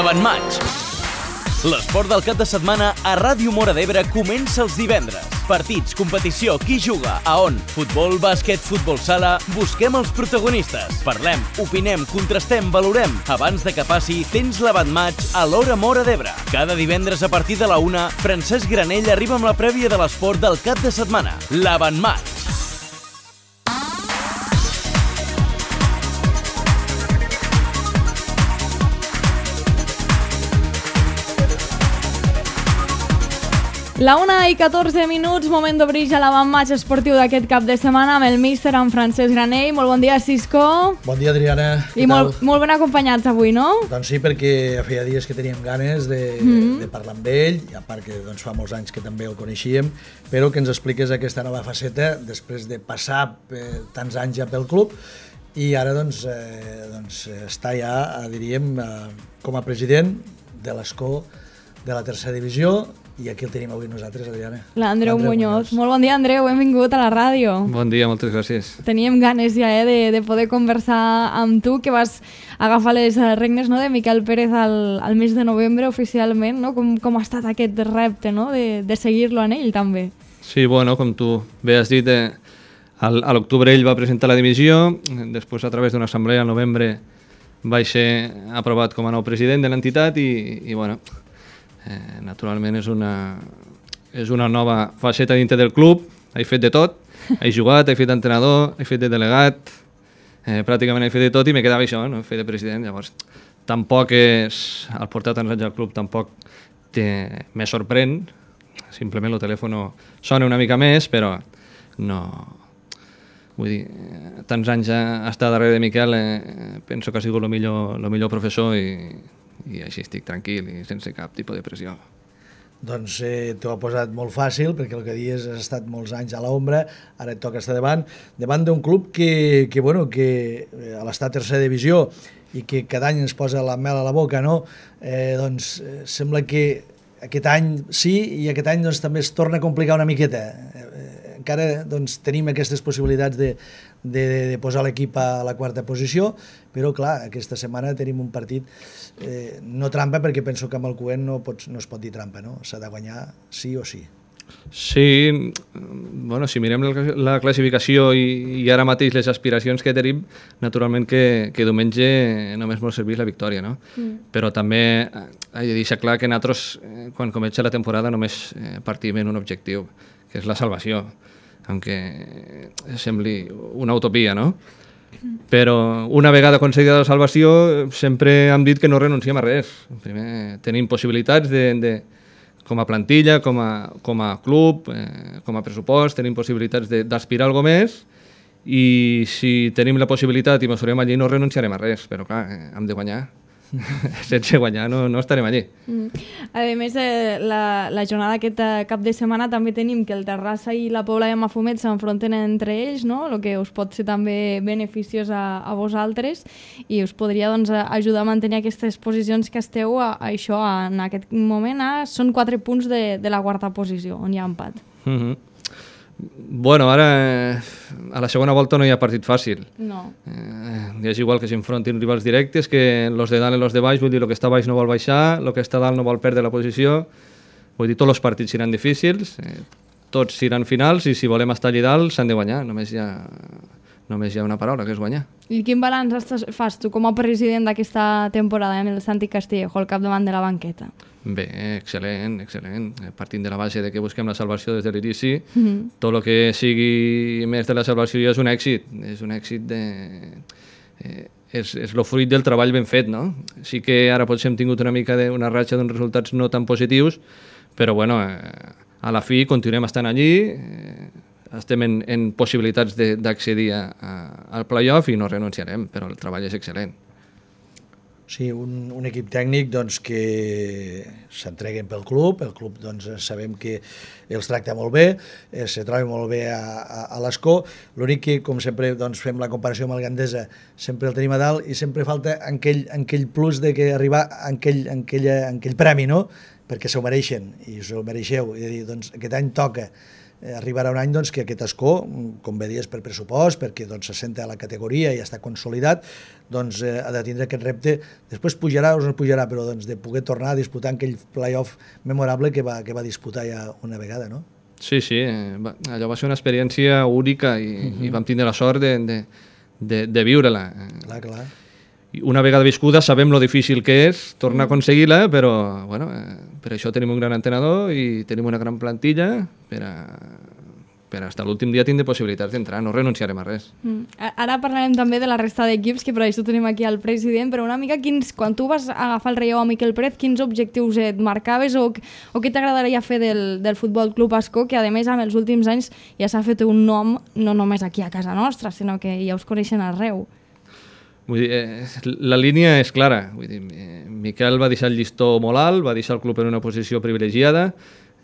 L'Avantmatx. L'esport del cap de setmana a Ràdio Móra d'Ebre comença els divendres. Partits, competició, qui juga, a on? Futbol, bàsquet, futbol sala... Busquem els protagonistes. Parlem, opinem, contrastem, valorem. Abans de que passi, tens l'Avantmatx a l'Hora Móra d'Ebre. Cada divendres a partir de la 1, Francesc Granell arriba amb la prèvia de l'esport del cap de setmana. L'Avantmatx. La 1:14, moment d'obrir ja l'avantmatx esportiu d'aquest cap de setmana amb el míster, en Francesc Granell. Molt bon dia, Cisco. Bon dia, Adriana. I molt ben acompanyats avui, no? Doncs sí, perquè feia dies que teníem ganes de parlar amb ell, i a part que fa molts anys que també el coneixíem, però que ens expliqués aquesta nova faceta després de passar tants anys ja pel club i ara està ja, diríem, com a president de l'ESCO de la tercera divisió. I aquí el tenim avui nosaltres, Adriana. L'Andreu Muñoz. Molt bon dia, Andreu. Benvingut a la ràdio. Bon dia, moltes gràcies. Teníem ganes ja de poder conversar amb tu, que vas agafar les regnes, no, de Miquel Pérez al mes de novembre oficialment. No? Com ha estat aquest repte, no? de seguir-lo en ell també? Sí, bueno, com tu bé has dit, a l'octubre ell va presentar la dimissió, després a través d'una assemblea al novembre vaig ser aprovat com a nou president de l'entitat i bueno... naturalment és una nova faceta dintre del club. He fet de tot, he jugat, he fet d'entrenador, he fet de delegat, pràcticament he fet de tot i me quedava això, no? Fer de president. Llavors tampoc és, al portar tants anys al club tampoc me sorprèn, simplement el telèfon sona una mica més, però no, vull dir, tants anys a estar darrere de Miquel, penso que ha sigut el millor professor i així estic tranquil i sense cap tipus de pressió. Doncs t'ho ha posat molt fàcil, perquè el que dius has estat molts anys a l'ombra, ara et toca estar davant d'un club que a l'estar a tercera divisió i que cada any ens posa la mel a la boca, no? Doncs sembla que aquest any sí i aquest any doncs, també es torna a complicar una miqueta. Encara doncs, tenim aquestes possibilitats de posar l'equip a la quarta posició, però clar, aquesta setmana tenim un partit no trampa, perquè penso que amb el Cuent no es pot dir trampa, no? S'ha de guanyar sí o sí. Sí, bueno, si mirem la classificació i ara mateix les aspiracions que tenim, naturalment que diumenge només ens serveix la victòria, no? Però també he de deixar clar que nosaltres, quan comença la temporada, només partim en un objectiu, que és la salvació, aunque sembli una utopia, no? Però una vegada aconseguida la salvació sempre hem dit que no renunciem a res. Primer tenim possibilitats com a plantilla, com a club, com a pressupost, tenim possibilitats d'aspirar a alguna més i si tenim la possibilitat i mesurem allí no renunciarem a res, però clar, hem de guanyar. Sense guanyar no estarem allí. A més, la jornada aquest cap de setmana també tenim que el Terrassa i la Pobla de Mafumet s'enfronten entre ells, no? El que us pot ser també beneficiós a vosaltres i us podria ajudar a mantenir aquestes posicions que esteu això en aquest moment. Són 4 punts de la quarta posició, on hi ha empat. Bueno, ara a la segona volta no hi ha partit fàcil. No. És igual que s'enfrontin rivals directes, que los de dalt i los de baix, vull dir, el que està baix no vol baixar, el que està dalt no vol perdre la posició, vull dir, tots els partits seran difícils, tots seran finals i si volem estar allà dalt s'han de guanyar, només hi ha una paraula, que és guanyar. I quin balanç fas tu com a president d'aquesta temporada amb el Santi Castillejo al capdavant de la banqueta? Bé, excel·lent. Partint de la base de que busquem la salvació des de l'inici, tot el que sigui més de la salvació ja és un èxit. És un èxit és el fruit del treball ben fet, no? Sí que ara potser hem tingut una mica una ratxa d'uns resultats no tan positius, però bueno, a la fi continuem estant allí, estem en possibilitats d'accedir al playoff i no renunciarem, però el treball és excel·lent. Sí, un equip tècnic doncs, que s'entreguen pel club, el club doncs, sabem que els tracta molt bé, se troba molt bé a l'ESCO, l'únic que, com sempre doncs, fem la comparació amb el Gandesa, sempre el tenim a dalt i sempre falta aquell plus de que arribar a aquell premi, no? perquè s'ho mereixen i s'ho mereixeu. És a dir, doncs, aquest any toca. Arribarà un any doncs, que aquest escó, com bé dies per pressupost, perquè doncs, s'assenta a la categoria i ja està consolidat, doncs, ha de tindre aquest repte. Després pujarà o no pujarà, però doncs, de poder tornar a disputar aquell play-off memorable que va disputar ja una vegada, no? Sí, allò va ser una experiència única i vam tindre la sort de viure-la. Clar. Una vegada viscuda sabem lo difícil que és tornar a aconseguir-la, però bueno, per això tenim un gran entrenador i tenim una gran plantilla per fins a l'últim dia tindre possibilitats d'entrar, no renunciarem a res. Ara parlarem també de la resta d'equips, que per això tenim aquí el president, però una mica quan tu vas agafar el relleu a Miquel Pérez, quins objectius et marcaves o què t'agradaria fer del Futbol Club Ascó, que a més amb els últims anys ja s'ha fet un nom no només aquí a casa nostra, sinó que ja us coneixen arreu. Vull dir, la línia és clara. Vull dir, Miquel va deixar el llistó molt alt, va deixar el club en una posició privilegiada,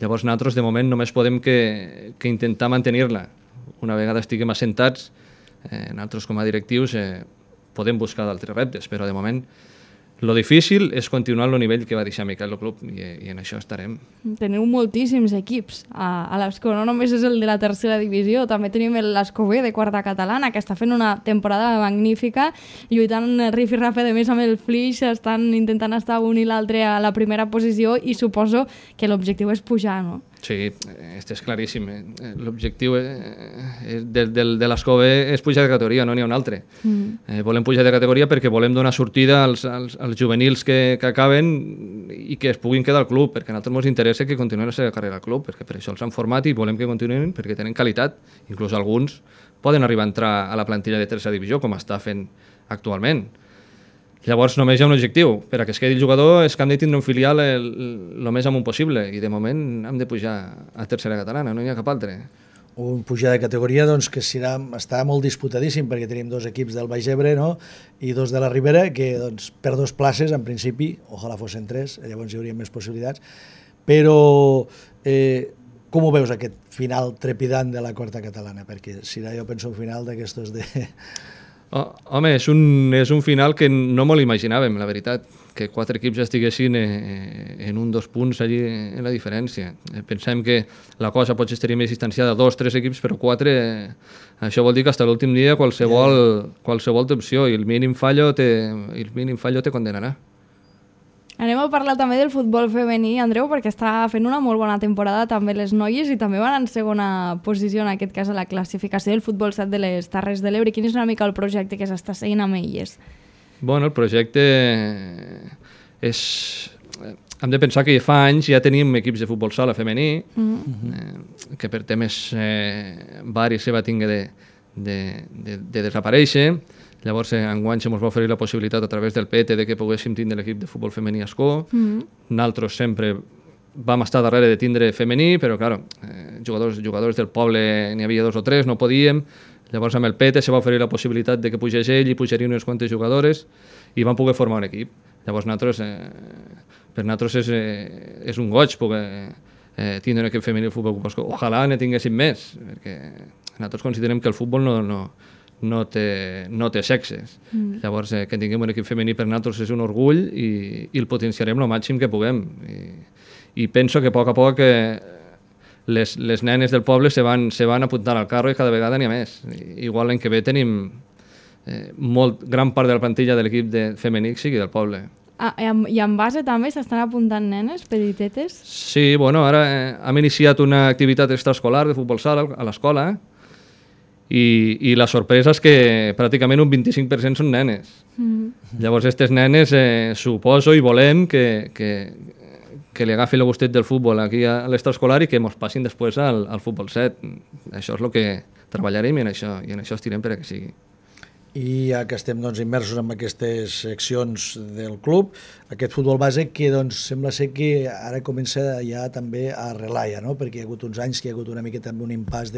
llavors nosaltres de moment només podem que intentar mantenir-la. Una vegada estiguem assentats, nosaltres com a directius podem buscar d'altres reptes, però de moment lo difícil és continuar el nivell que va deixar Miquel el club i en això estarem. Teniu moltíssims equips a l'Ascó, no només és el de la tercera divisió, també tenim l'Ascó B de quarta catalana, que està fent una temporada magnífica, lluitant rif-i-rafe de més amb el Flix, estan intentant estar un i l'altre a la primera posició i suposo que l'objectiu és pujar, no? Sí, és claríssim. L'objectiu de l'Ascó B és pujar de categoria, no n'hi ha un altre. Volem pujar de categoria perquè volem donar sortida als juvenils que acaben i que es puguin quedar al club, perquè a nosaltres ens interessa que continuïn la seva carrera al club, perquè per això els han format i volem que continuïn perquè tenen qualitat. Inclús alguns poden arribar a entrar a la plantilla de tercera divisió, com està fent actualment. Llavors només hi ha un objectiu. Per a que es quedi el jugador és que hem de tindre un filial el més amunt possible i de moment hem de pujar a tercera catalana, no hi ha cap altre. Un pujar de categoria doncs, que està molt disputadíssim perquè tenim dos equips del Baix Ebre, no? I dos de la Ribera que doncs, per 2 places en principi, ojalà fossin 3, llavors hi hauria més possibilitats, però com ho veus aquest final trepidant de la quarta catalana? Perquè serà, jo penso, un final d'aquestos de... Home, és un final que no me l'imaginàvem, la veritat, que 4 equips estiguessin en 1-2 punts allí en la diferència. Pensem que la cosa potser estaria més distanciada a 2-3 equips, però 4, això vol dir que fins a l'últim dia qualsevol té opció i el mínim fallo te condenarà. Anem a parlar també del futbol femení, Andreu, perquè està fent una molt bona temporada també les noies i també van en segona posició, en aquest cas a la classificació del futbol 7 de les Terres de l'Ebre. Quin és una mica el projecte que s'està seguint amb elles? Bueno, el projecte és... Hem de pensar que fa anys ja tenim equips de futbol sala femení, que per temes varis se va tinguer de desaparèixer. Llavors, enguany se ens va oferir la possibilitat a través del PET de que poguéssim tindre l'equip de futbol femení Ascó. Nosaltres sempre vam estar darrere de tindre femení, però, clar, jugadors del poble n'hi havia 2 o 3, no podíem. Llavors, amb el PET se va oferir la possibilitat de que pugés ell i pujarien unes quantes jugadores i vam poder formar un equip. Llavors, per nosaltres és un goig poder tindre un equip femení al futbol Ascó. Ojalà ne tinguéssim més, perquè nosaltres considerem que el futbol no té sexes. Llavors, que tinguem un equip femení per nosaltres és un orgull i el potenciarem el màxim que puguem. I penso que a poc les nenes del poble se van apuntant al carro i cada vegada n'hi ha més. Igual l'any que ve tenim gran part de la plantilla de l'equip femení sigui del poble. I en base també s'estan apuntant nenes petitetes? Sí, bueno, ara hem iniciat una activitat extraescolar de futbol sala a l'escola, i la sorpresa és que pràcticament un 25% són nenes. Llavors, aquestes nenes suposo i volem que li agafi el gustet del futbol aquí a l'extraescolar i que ens passin després al futbol 7. Això és el que treballarem i en això estirem per a que sigui. I ja que estem doncs, immersos en aquestes seccions del club, aquest futbol base que doncs, sembla ser que ara comença ja també a arrelar, no? Perquè hi ha hagut uns anys que hi ha hagut una miqueta un impàs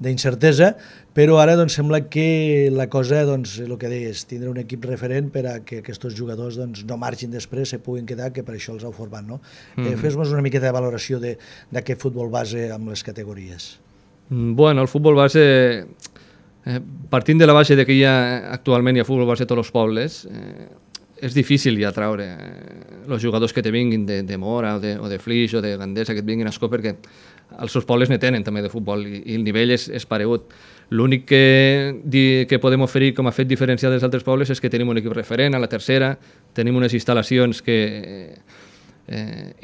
d'incertesa, però ara doncs, sembla que la cosa, doncs, el que deies, tindre un equip referent per a que aquests jugadors doncs, no margin després, se puguin quedar, que per això els heu format, no? Fes-nos una miqueta de valoració d'aquest futbol base amb les categories. Bueno, el futbol base, partint de la base de que actualment hi ha futbol base a tots els pobles, és difícil ja treure els jugadors que te vinguin de Mora o de Flix o de Gandesa que et vinguin a Escó, perquè els seus pobles ne tenen també de futbol i el nivell és paregut. L'únic que podem oferir com a fet diferencial dels altres pobles és que tenim un equip referent a la tercera, tenim unes instal·lacions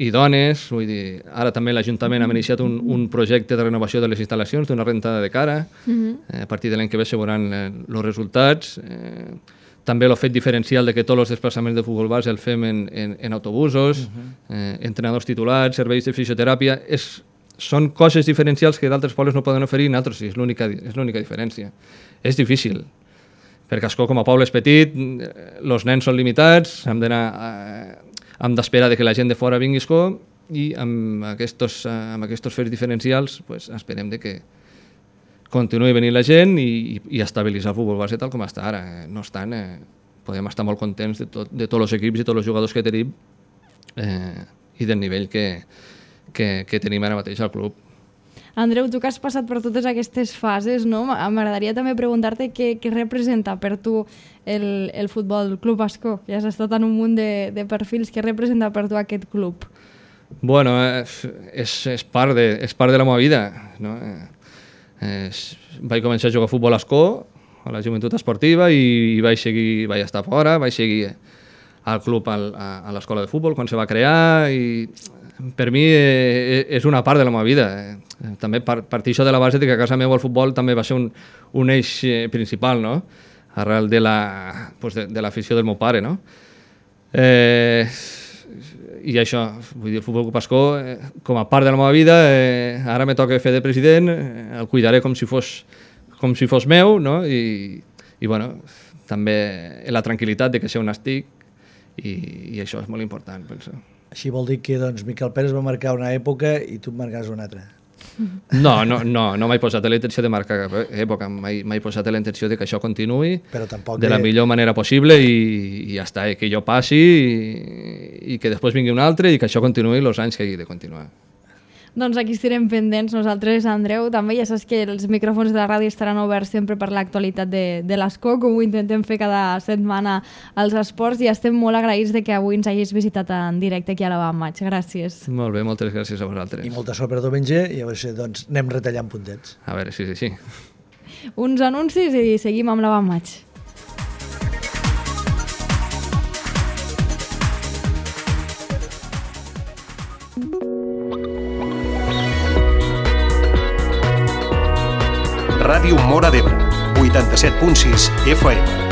idones, vull dir, ara també l'Ajuntament ha iniciat un projecte de renovació de les instal·lacions, d'una rentada de cara, a partir de l'any que ve se veuran els resultats. També el fet diferencial de que tots els desplaçaments de futbol base el fem en autobusos, entrenadors titulats, serveis de fisioteràpia. Són coses diferencials que d'altres pobles no poden oferir i nosaltres sí, és l'única diferència. És difícil, perquè Ascó com a poble és petit, els nens són limitats, hem d'esperar que la gent de fora vingui a Ascó i amb aquests fets diferencials esperem que continuï venint la gent i estabilitzar el futbol base tal com està ara. No obstant, podem estar molt contents de tots els equips i tots els jugadors que tenim i del nivell que tenim ara mateix al club. Andreu, tu que has passat per totes aquestes fases, no? M'agradaria també preguntar-te què representa per tu el Futbol Club Ascó. Ja has estat en un munt de perfils. Què representa per tu aquest club? Bueno, és part de la meva vida, no? Vaig començar a jugar a futbol a Ascó, a la joventut esportiva, i vaig estar fora, vaig seguir al club a l'escola de futbol quan se va crear, i per mi és una part de la meva vida. També partir això de la base de que a casa meva el futbol també va ser un eix principal, no? Arrel de l'afició del meu pare, no? I això, vull dir, el Futbol Club Ascó, com a part de la meva vida, ara me toca fer de president, el cuidaré com si fos meu, no? I bueno, també la tranquil·litat de que sé on estic, i això és molt important, penso. Així vol dir que Miquel Pérez va marcar una època i tu marcaràs una altra. No m'he posat la intenció de marcar cap època, m'he posat la intenció de que això continuï de la millor manera possible i ja està, que jo passi i que després vingui un altre i que això continuï els anys que hagi de continuar. Doncs aquí estarem pendents nosaltres, Andreu. També ja saps que els micròfons de la ràdio estaran oberts sempre per l'actualitat de l'Ascó, com ho intentem fer cada setmana als esports, i estem molt agraïts de que avui ens hagis visitat en directe aquí a la Van Maig. Gràcies. Molt bé, moltes gràcies a vosaltres. I molta sort per diumenge, i a veure si anem retallant puntets. A veure, sí. Uns anuncis i seguim amb la Van Maig. Ràdio Móra d'Ebre, 87.6 FM.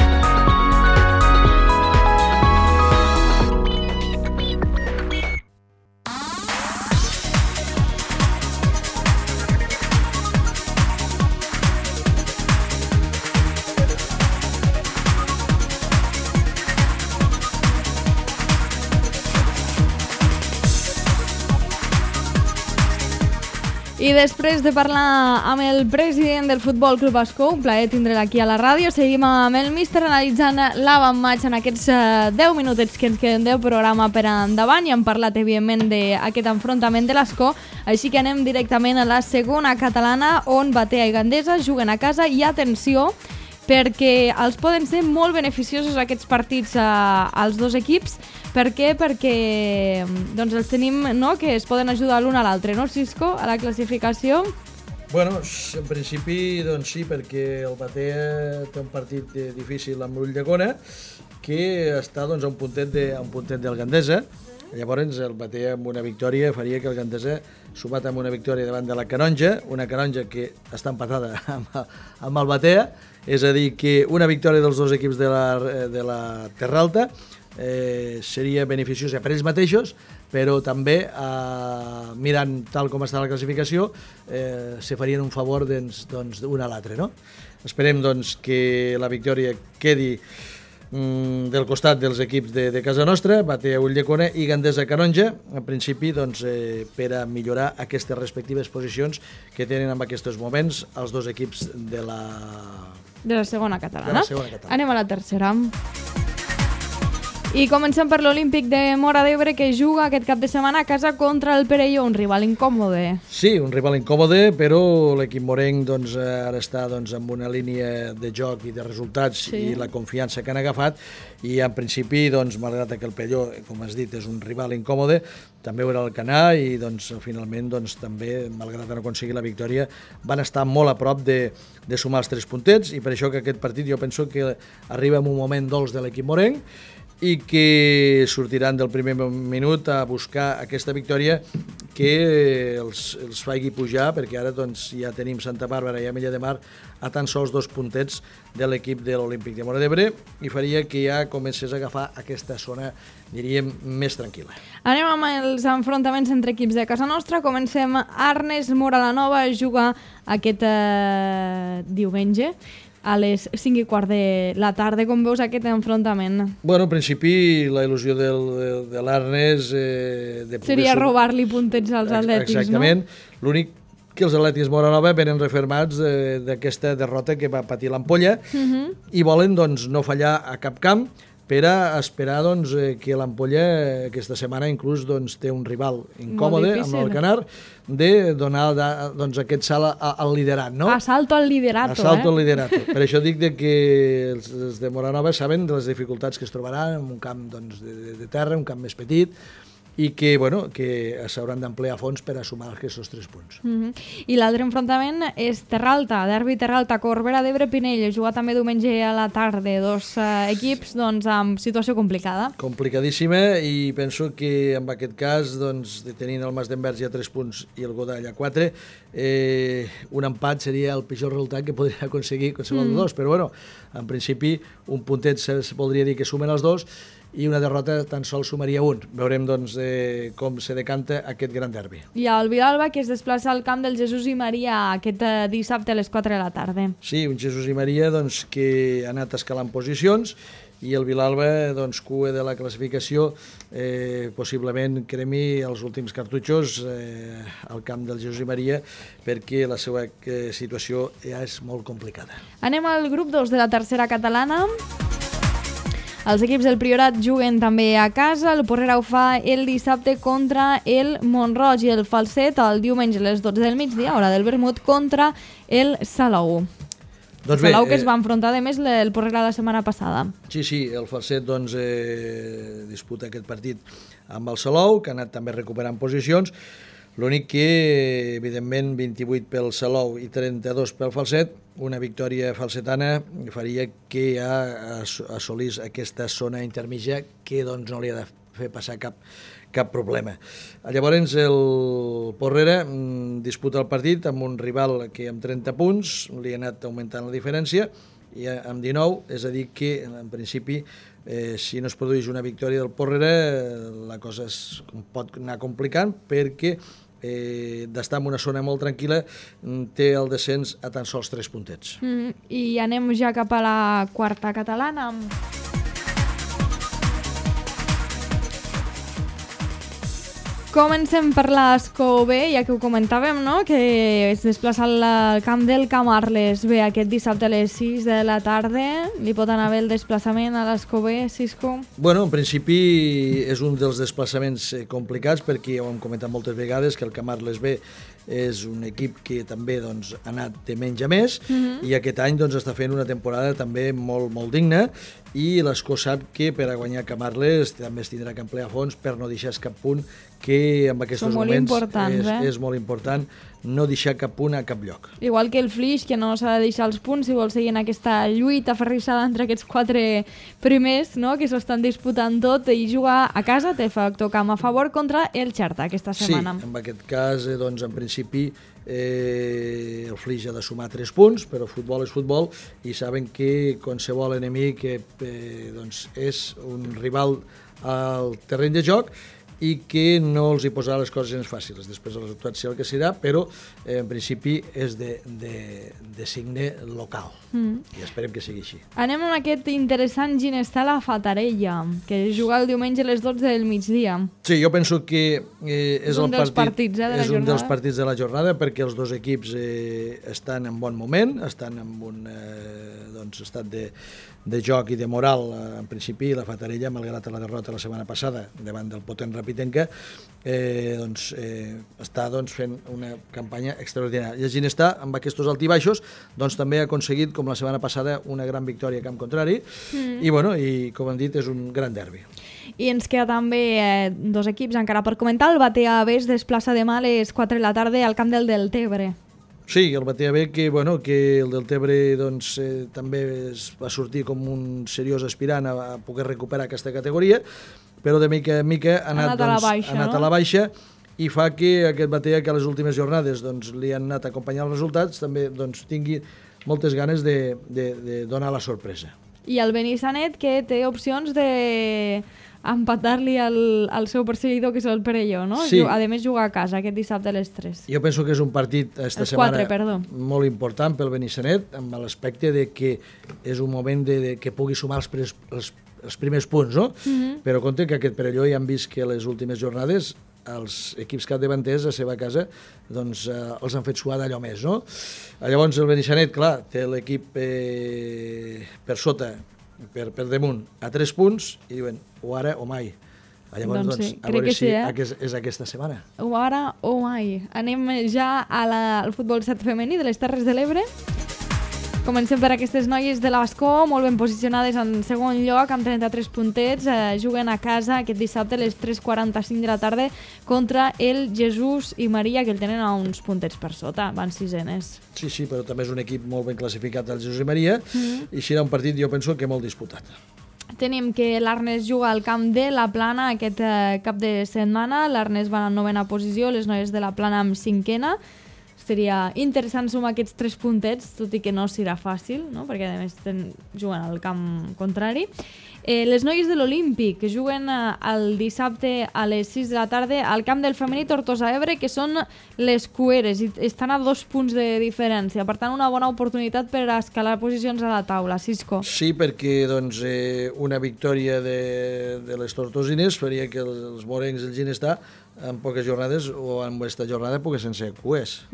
I després de parlar amb el president del Futbol Club Ascó, un plaer tindre'l aquí a la ràdio, seguim amb el míster analitzant la Van Maig en aquests 10 minutets que ens queden del programa per endavant, i hem parlat evidentment d'aquest enfrontament de l'Ascó, així que anem directament a la segona catalana, on Batea i Gandesa juguen a casa, i atenció, perquè els poden ser molt beneficiosos aquests partits als dos equips. Per què? Perquè els tenim, no?, que es poden ajudar l'un a l'altre, no, Cisco, a la classificació? Bueno, en principi, sí, perquè el Batea té un partit difícil amb l'Ulldecona, que està a un puntet del Gandesa. Llavors, el Batea amb una victòria faria que el Gandesa, sumat amb una victòria davant de la Canonja, una Canonja que està empatada amb el Batea, és a dir, que una victòria dels dos equips de la Terra Alta seria beneficiosa per ells mateixos, però també mirant tal com està la classificació se farien un favor d'un a l'altre, no? Esperem que la victòria quedi del costat dels equips de casa nostra, Batea Ulldecona i Gandesa Canonja, en principi per a millorar aquestes respectives posicions que tenen en aquests moments els dos equips de la segona catalana. Anem a la tercera. I comencem per l'Olímpic de Móra d'Ebre, que juga aquest cap de setmana a casa contra el Perelló, un rival incòmode. Sí, un rival incòmode, però l'equip morenc doncs, ara està doncs, amb una línia de joc i de resultats i la confiança que han agafat, i en principi, doncs, malgrat que el Perelló, com has dit, és un rival incòmode, també ho era el Canà, i doncs, finalment doncs, també, malgrat no aconseguir la victòria, van estar molt a prop de sumar els 3 puntets, i per això que aquest partit jo penso que arriba en un moment dolç de l'equip morenc, i que sortiran del primer minut a buscar aquesta victòria que els faci pujar, perquè ara doncs, ja tenim Santa Bàrbara i Ametlla de Mar a tan sols 2 puntets de l'equip de l'Olímpic de Móra d'Ebre, i faria que ja comencés a agafar aquesta zona, diríem, més tranquil·la. Anem amb els enfrontaments entre equips de casa nostra. Comencem. Arnes Móra la Nova juga aquest diumenge a les 5:15 de la tarda. Com veus aquest enfrontament? Bueno, en principi, la il·lusió de l'Arnes... seria robar-li puntets als atlètics, exactament. No? L'únic que els atlètics Móra Nova venen refermats d'aquesta derrota que va patir l'Ampolla i volen doncs, no fallar a cap camp per a esperar doncs, que l'Ampolla aquesta setmana inclús doncs, té un rival incòmode amb el Canar, de donar doncs, aquest salt al liderat. No? Assalto al liderato. Assalto al liderato. Per això dic que els de Móra Nova saben de les dificultats que es trobaran en un camp doncs, de terra, un camp més petit, i que, bueno, que s'hauran d'emplear a fons per a sumar aquests 3 punts. I l'altre enfrontament és Terralta, derbi Terralta, Corbera d'Ebre, Pinell, jugar també diumenge a la tarda, 2 equips doncs, amb situació complicada. Complicadíssima, i penso que en aquest cas, doncs, tenint el Mas d'Envers ja 3 punts i el Godall a 4, un empat seria el pitjor resultat que podria aconseguir qualsevol de dos, però bueno, en principi un puntet se voldria dir que sumen els 2, i una derrota tan sols sumaria 1. Veurem doncs, com se decanta aquest gran derbi. I el Vilalba, que es desplaça al camp del Jesús i Maria aquest dissabte a les 4 de la tarda. Sí, un Jesús i Maria doncs, que ha anat escalant posicions, i el Vilalba, doncs, cua de la classificació, possiblement cremi els últims cartutxos al camp del Jesús i Maria, perquè la seva situació ja és molt complicada. Anem al grup 2 de la tercera catalana. Els equips del Priorat juguen també a casa. El Porrera ho fa el dissabte contra el Mont-roig, i el Falset el diumenge a les 12 del migdia, hora del vermut, contra el Salou. Doncs Salou que es va enfrontar, a més, el Porrera la setmana passada. Sí, el Falset doncs, disputa aquest partit amb el Salou, que ha anat també recuperant posicions. L'únic que, evidentment, 28 pel Salou i 32 pel Falset, una victòria falsetana faria que ja assolís aquesta zona intermitja que doncs, no li ha de fer passar cap problema. Llavors el Porrera disputa el partit amb un rival que amb 30 punts li ha anat augmentant la diferència, i amb 19, és a dir que en principi si no es produeix una victòria del Porrera la cosa es pot anar complicant, perquè d'estar en una zona molt tranquil·la té el descens a tan sols 3 puntets. I anem ja cap a la quarta catalana. Comencem per l'Escó B, ja que ho comentàvem, no? Que es desplaça al camp del Camarles B aquest dissabte a les 6 de la tarda. Li pot anar bé el desplaçament a l'Escó B, Cisco? Bueno, en principi és un dels desplaçaments complicats, perquè ho hem comentat moltes vegades que el Camarles B és un equip que també doncs, ha anat de menys a més, i aquest any doncs, està fent una temporada també molt, molt digna, i l'Escó sap que per a guanyar Camarles també es tindrà que emplear a fons per no deixar cap punt, que en aquests moments és molt important no deixar cap punt a cap lloc. Igual que el Flix, que no s'ha de deixar els punts si vol seguir en aquesta lluita ferrissada entre aquests 4 primers, no? Que s'ho estan disputant tot, i jugar a casa té factor camp a favor contra el Xerta aquesta setmana. Sí, en aquest cas, doncs, en principi el Flix ha de sumar 3 punts, però futbol és futbol, i saben que qualsevol enemic doncs, és un rival al terreny de joc, i que no els hi posarà les coses gens fàcils. Després el resultat serà el que serà, però en principi és de signe local i esperem que sigui així. Anem amb aquest interessant Ginestar la Fatarella, que juga el diumenge a les 12 del migdia. Sí, jo penso que és un dels partits de la és un jornada. dels partits de la jornada perquè els dos equips estan en bon moment, estan en un estat de joc i de moral. En principi la Fatarella, malgrat la derrota la setmana passada davant del potent Rapitenca, està fent una campanya extraordinària. I el Ginestar, amb aquests altibaixos, també ha aconseguit, com la setmana passada, una gran victòria a camp contrari i com hem dit, és un gran derbi. I ens queda també dos equips encara per comentar. El Batea B es desplaça demà a les 4 de la tarda al camp del Deltebre. Sí, el Batea B, que el Deltebre també va sortir com un seriós aspirant a poder recuperar aquesta categoria, però de mica en mica ha anat a la baixa i fa que aquest Batea, que a les últimes jornades li han anat acompanyant els resultats, també tingui moltes ganes de donar la sorpresa. I el Benissanet, que té opcions de empatar-li al seu perseguidor, que és el Perelló, no? Sí. A més, juga a casa aquest dissabte a les 3. Jo penso que és un partit esta setmana molt important pel Benissanet, amb l'aspecte de que és un moment que pugui sumar els primers punts, no? Però compte que aquest Perelló ja han vist que les últimes jornades els equips capdavanters a la seva casa els han fet suar d'allò més, no? Llavors el Benissanet, clar, té l'equip per sota, per damunt, a 3 punts, i diuen, o ara o mai. Llavors, a veure si és aquesta setmana. O ara o mai. Anem ja al futbol 7 femení de les Terres de l'Ebre. Comencem per aquestes noies de l'Ascó, molt ben posicionades en segon lloc, amb 33 puntets. Juguen a casa aquest dissabte a les 3:45 de la tarda contra el Jesús i Maria, que el tenen a uns puntets per sota, van sisenes. Sí, però també és un equip molt ben classificat, el Jesús i Maria, i serà un partit, jo penso, que molt disputat. Tenim que l'Arnes juga al camp de la Plana aquest cap de setmana. L'Arnes va en 9a posició, les noies de la Plana amb 5a. Seria interessant sumar aquests 3 puntets, tot i que no serà fàcil, no? Perquè a més juguen al camp contrari. Les noies de l'Olímpic, que juguen el dissabte a les 6 de la tarda al camp del femení Tortosa Ebre, que són les cueres i estan a 2 punts de diferència. Per tant, una bona oportunitat per escalar posicions a la taula. Cisco. Sí, perquè una victòria de les tortosines faria que els morencs del Ginestar en poques jornades o en aquesta jornada poguessin ser cuers.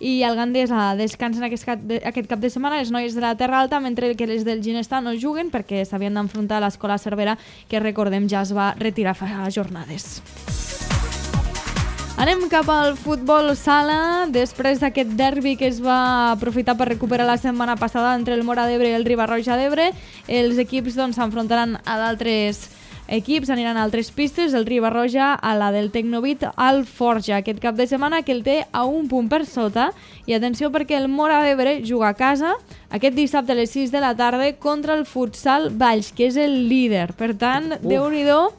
I el Gandesa descansen aquest cap de setmana les noies de la Terra Alta, mentre que les del Ginestar no juguen perquè s'havien d'enfrontar a l'Escola Cervera, que recordem ja es va retirar fa jornades. Anem cap al futbol sala. Després d'aquest derbi que es va aprofitar per recuperar la setmana passada entre el Móra d'Ebre i el Riba-roja d'Ebre, els equips s'enfrontaran a d'altres equips, aniran a altres pistes, el Riba-roja a la del Tecnovit al Forja aquest cap de setmana, que el té a 1 punt per sota. I atenció, perquè el Móra d'Ebre juga a casa aquest dissabte a les 6 de la tarda contra el Futsal Valls, que és el líder. Per tant, Déu-n'hi-do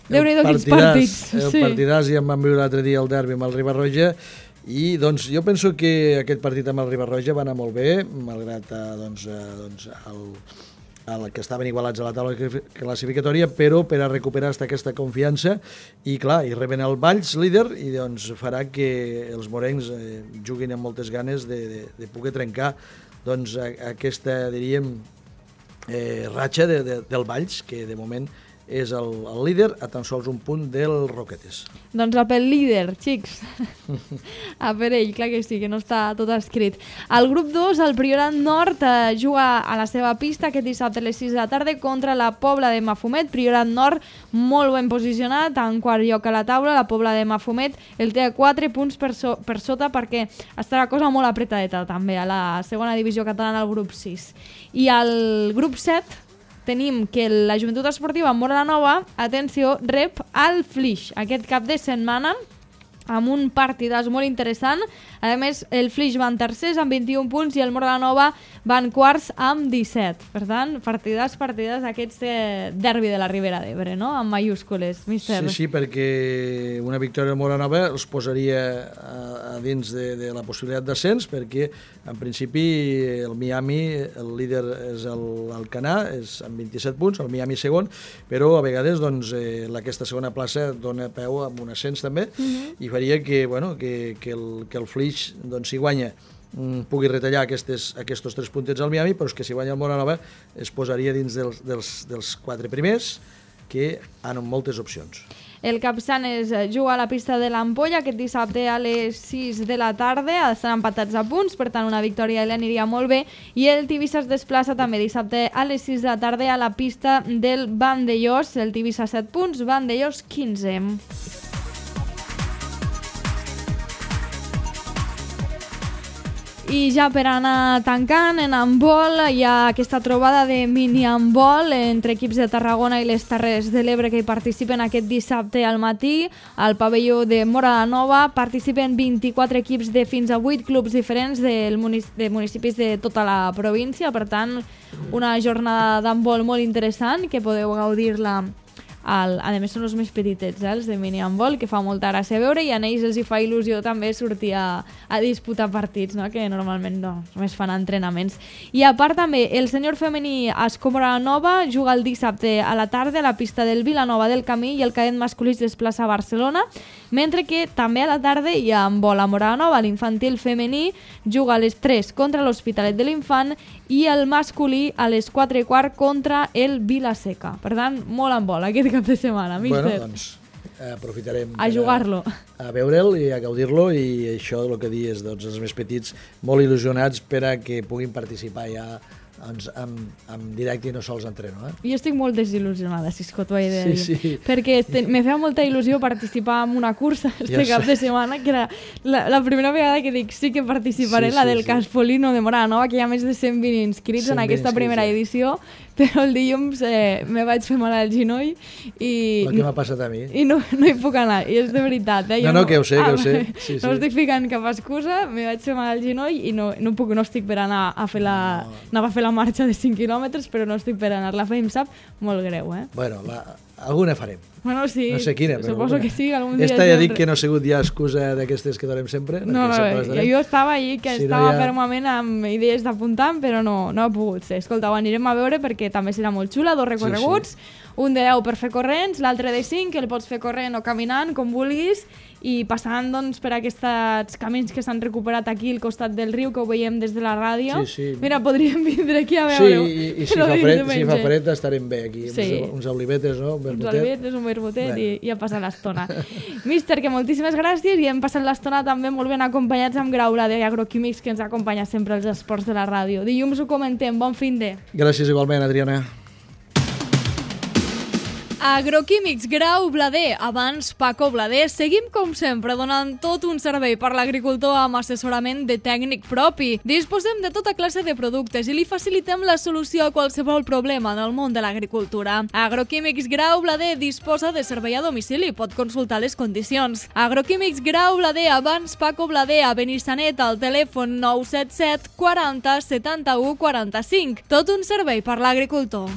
quins partits. El partidàs, ja em van viure l'altre dia el derbi amb el Riba-roja, i jo penso que aquest partit amb el Riba-roja va anar molt bé, malgrat el que estaven igualats a la taula classificatòria, però per a recuperar aquesta confiança, i clar, i reben el Valls líder, i farà que els morencs juguin amb moltes ganes de poder trencar aquesta, diríem, ratxa del Valls, que de moment és el líder a tan sols 1 punt del Roquetes. Doncs a pel líder, xics. A per ell, clar que sí, que no està tot escrit. Al grup 2, el Priorat Nord juga a la seva pista aquest dissabte a les 6 de la tarda contra la Pobla de Mafumet. Priorat Nord molt ben posicionat, en quart lloc a la taula. La Pobla de Mafumet el té a 4 punts per sota, perquè està la cosa molt apretadeta també a la segona divisió catalana, al grup 6. I al grup 7 tenim que la Joventut Esportiva Móra la Nova, atenció, rep al Flix aquest cap de setmana amb un partidàs molt interessant. A més, el Flix van tercers amb 21 punts i el Moradanova van quarts amb 17. Per tant, partidàs aquests derbi de la Ribera d'Ebre, no? Amb majúscules, míster. Sí, perquè una victòria del Moradanova els posaria a dins de la possibilitat d'ascens, perquè en principi el Miami, el líder és l'Alcanar, és amb 27 punts, el Miami segon, però a vegades doncs, aquesta segona plaça dona peu amb un ascens també, i faria que el Flix, doncs, si guanya, pugui retallar aquests 3 puntets al Miami, però és que si guanya el Moradanova es posaria dins dels 4 primers, que han moltes opcions. El Capçanes juga a la pista de l'Ampolla aquest dissabte a les 6 de la tarda, estan empatats a punts, per tant una victòria li aniria molt bé, i el Tivissa es desplaça també dissabte a les 6 de la tarda a la pista del Vandellós, el Tivissa 7 punts, Vandellós 15. I ja per anar tancant, en handbol hi ha aquesta trobada de mini-handbol entre equips de Tarragona i les Terres de l'Ebre que hi participen aquest dissabte al matí. Al pavelló de Moradanova participen 24 equips de fins a 8 clubs diferents de municipis de tota la província. Per tant, una jornada d'handbol molt interessant que podeu gaudir-la. A més són els més petitets, els de mini-handbol, que fa molta gràcia a veure, i a ells els hi fa il·lusió també sortir a disputar partits, no? Que normalment només fan entrenaments. I a part també, el sènior femení Ascó Moradanova juga el dissabte a la tarda a la pista del Vilanova del Camí i el cadet masculí es desplaça a Barcelona, mentre que també a la tarda hi ha handbol a Moradanova. L'infantil femení juga a les 3 contra l'Hospitalet de l'Infant i el masculí a les 4:15 contra el Vilaseca. Per tant, molt handbol aquest cap de setmana, míster. Bueno, doncs aprofitarem a jugar-lo, a veure'l i a gaudir-lo, i això el que dius, doncs, els més petits molt il·lusionats per a que puguin participar ja en directe i no sols entreno. Jo estic molt desil·lusionada, si és que t'ho he de dir. Sí. Perquè me feia molta il·lusió participar en una cursa cap de setmana, que era la primera vegada que dic sí que participaré, la del Caspolino de Moradanova, que hi ha més de 120 inscrits en aquesta primera edició, però el dilluns me vaig fer mal al genoll i... El que m'ha passat a mi. I no hi puc anar, i és de veritat. No, que ho sé. Sí. No estic ficant cap excusa, me vaig fer mal al genoll i no estic per anar a fer anava a fer la marxa de 5 quilòmetres, però no estic per anar-la a fer, em sap molt greu, Bueno, alguna farem. Bueno, sí, no sé quina, però suposo que sí, algun dia... Esta ja dic que no ha sigut ja excusa d'aquestes que donem sempre. No, jo estava allí, que estava fermament amb idees d'apuntar, però no ha pogut ser. Escolta, ho anirem a veure perquè també serà molt xula, 2 recorreguts, un de 10 per fer corrents, l'altre de 5, que el pots fer corrent o caminant, com vulguis, i passant doncs, per aquests camins que s'han recuperat aquí al costat del riu, que ho veiem des de la ràdio. Sí. Mira, podríem vindre aquí a veure-ho. Sí, i si fa fred estarem bé aquí, uns olivetes, no? Uns olivetes, un vermutet i a passar l'estona. Míster, que moltíssimes gràcies, i hem passat l'estona també molt ben acompanyats amb Graula de Agroquímics, que ens acompanya sempre als esports de la ràdio. Dilluns ho comentem, bon fin de. Gràcies igualment, Adriana. Agroquímics Grau Blader, abans Paco Blader. Seguim com sempre donant tot un servei per l'agricultor amb assessorament de tècnic propi. Disposem de tota classe de productes i li facilitem la solució a qualsevol problema en el món de l'agricultura. Agroquímics Grau Blader disposa de servei a domicili, pot consultar les condicions. Agroquímics Grau Blader, abans Paco Blader, a Benissanet, al telèfon 977 40 71 45. Tot un servei per l'agricultor.